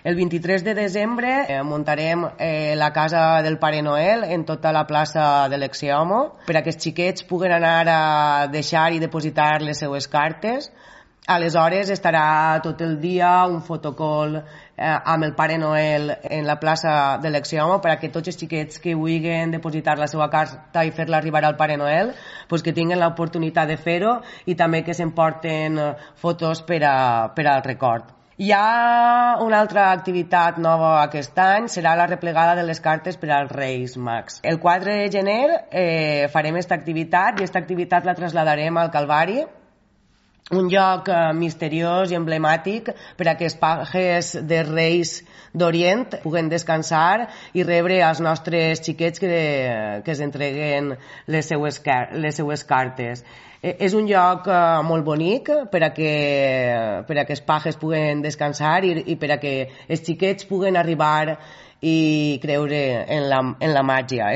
El 23 de desembre muntarem la casa del Pare Noel en tota la plaça de l'Exeomo per a que els xiquets puguen anar a deixar i depositar les seues cartes. Aleshores estarà tot el dia un fotocall amb el Pare Noel en la plaça de l'Exeomo per a que tots els xiquets que vulguin depositar la seva carta i fer-la arribar al Pare Noel pues que tinguin l'oportunitat de fer-ho i també que s'emporten fotos per al record. Hi ha una altra activitat nova aquest any, serà la replegada de les cartes per als Reis Mags. El 4 de gener farem aquesta activitat i aquesta activitat la trasladarem al Calvari, un lloc misteriós i emblemàtic per a que els pages de Reis d'Orient puguen descansar i rebre els nostres xiquets que es entreguen les seues cartes. És un lloc molt bonic per a que els pages puguen descansar i per a que els xiquets puguen arribar i creure en la màgia.